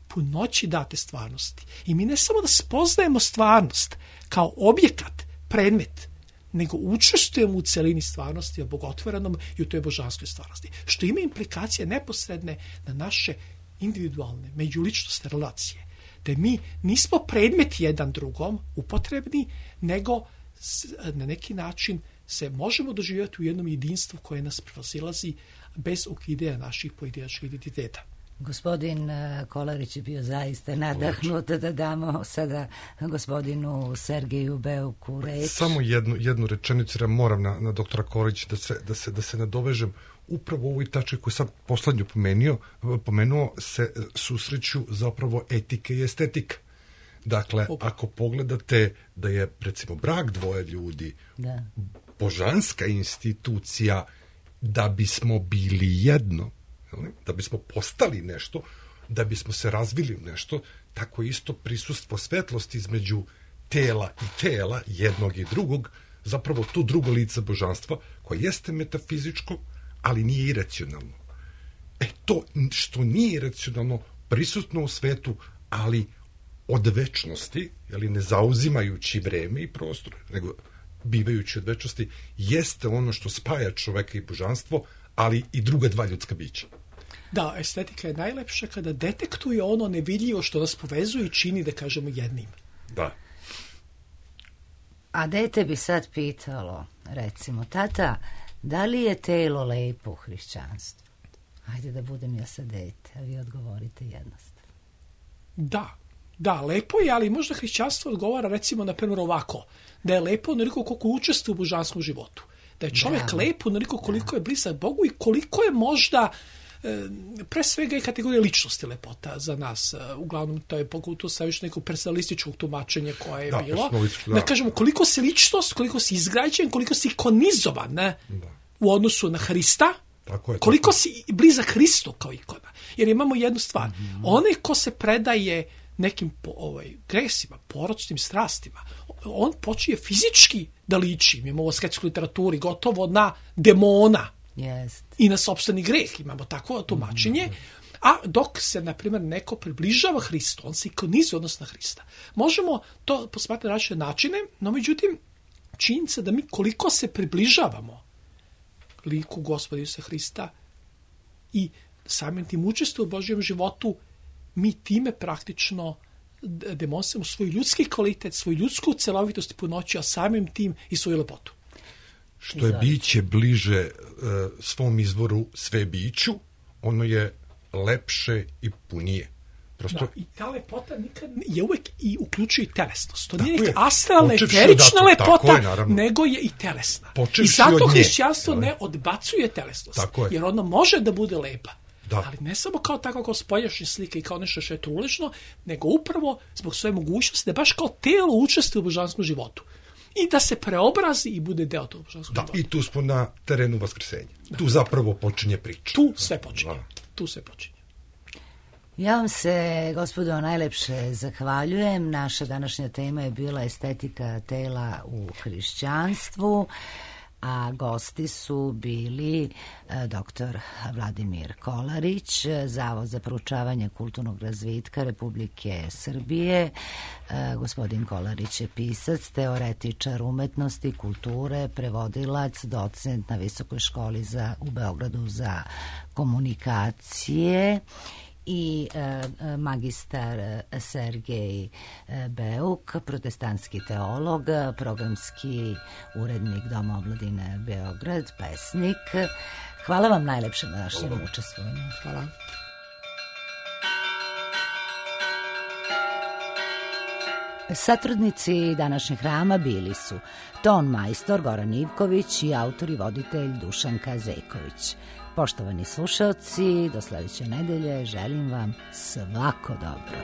punoći date stvarnosti. I mi ne samo da spoznajemo stvarnost kao objekat, predmet, nego učestvujemo u celini stvarnosti, u bogotvorenom i u toj božanskoj stvarnosti. Što ima implikacije neposredne na naše individualne, međuličnostne relacije. Da mi nismo predmet jedan drugom upotrebni, nego na neki način se možemo doživjeti u jednom jedinstvu koje nas prevazilazi bez ukidanja naših pojedinačnih identiteta. Gospodin Kolarić je bio zaista nadahnut da damo sada gospodinu Sergeju Beuku reč. Samo jednu, jednu rečenicu, jer moram na, na doktora Kolarić da se, da, se, da se nadovežem. Upravo u ovoj tački koju sam poslednju pomenuo, pomenuo se susreću zapravo etika i estetika. Dakle, Opa. ako pogledate da je, recimo, brak dvoje ljudi, da. božanska institucija, da bismo bili jedno, da bismo postali nešto, da bismo se razvili u nešto, tako isto prisustvo svetlosti između tela i tela, jednog i drugog, zapravo to drugo lice božanstva, koje jeste metafizičko, ali nije iracionalno. E, to što nije iracionalno, prisutno u svetu, ali od večnosti, jeli, ne zauzimajući vreme i prostor, nego bivajući od večnosti, jeste ono što spaja čoveka i božanstvo, ali i druga dva ljudska bića. Da, estetika je najlepša kada detektuje ono nevidljivo što nas povezuje i čini, da kažemo, jednim. Da. A dete bi sad pitalo, recimo, tata, da li je telo lepo u hrišćanstvu? Hajde da budem ja sad dete, a vi odgovorite jednostavno. Da, da, lepo je, ali možda hrišćanstvo odgovara, recimo, na primjer ovako, da je lepo onoliko koliko učestvuje u božanskom životu. Da je čovjek da. lepo onoliko koliko je blizak Bogu i koliko je možda pre svega i kategorija ličnosti lepota za nas. Uglavnom, to je pogotovo sa još nekog personalističkog tumačenja koje je da, bilo. Da. da kažemo, koliko si ličnost, koliko si izgrađen, koliko si ikonizovan ne? Da. u odnosu na Hrista, tako je, koliko tako. si blizak Hristu kao ikona. Jer imamo jednu stvar. Mm-hmm. Onaj ko se predaje nekim ovaj, gresima, poročnim strastima, on počinje fizički da liči, imamo u sketskoj literaturi, gotovo na demona. Yes. I na sopstveni greh imamo takvo tumačenje, a dok se, na primjer, neko približava Hristu, on se ikonizuje odnos na Hrista. Možemo to posmatrati na različite načine, no međutim, činjenica da mi koliko se približavamo liku Gospoda Isusa Hrista i samim tim učestvujemo u Božjem životu, mi time praktično demonstrujemo svoj ljudski kvalitet, svoju ljudsku celovitost i punoću, a samim tim i svoju lepotu. Što je biće bliže e, svom izvoru sve biću, ono je lepše i punije. Prosto... Da, i ta lepota nikad je uvek i uključuje i telesnost. To nije neka astralna, eterična lepota, je, nego je i telesna. Počevši I zato hrišćanstvo ne odbacuje telesnost, je. jer ono može da bude lepa. Da. Ali ne samo kao tako kao spoljašnje slike i kao nešto što je truležno, nego upravo zbog svoje mogućnosti da baš kao telo učestvuje u božanskom životu. I da se preobrazi i bude deo tog božanskog da, života. I tu smo na terenu vaskrsenja. Da. Tu zapravo počinje priča. Tu sve počinje. Da. Tu sve počinje. Ja vam se, gospodo, najlepše zahvaljujem. Naša današnja tema je bila estetika tela u hrišćanstvu, a gosti su bili doktor Vladimir Kolarić, Zavod za proučavanje kulturnog razvitka Republike Srbije. Gospodin Kolarić je pisac, teoretičar umetnosti, kulture, prevodilac, docent na Visokoj školi za, u Beogradu za komunikacije i magistar Sergej Beuk, protestantski teolog, programski urednik Doma omladine Beograd, pesnik. Hvala vam najlepše na našem učestvovanju. Hvala. Satrudnici današnjeg hrama bili su ton majstor Goran Ivković i autor i voditelj Dušanka Zejković. Poštovani slušaoci, do sledeće nedelje želim vam svako dobro.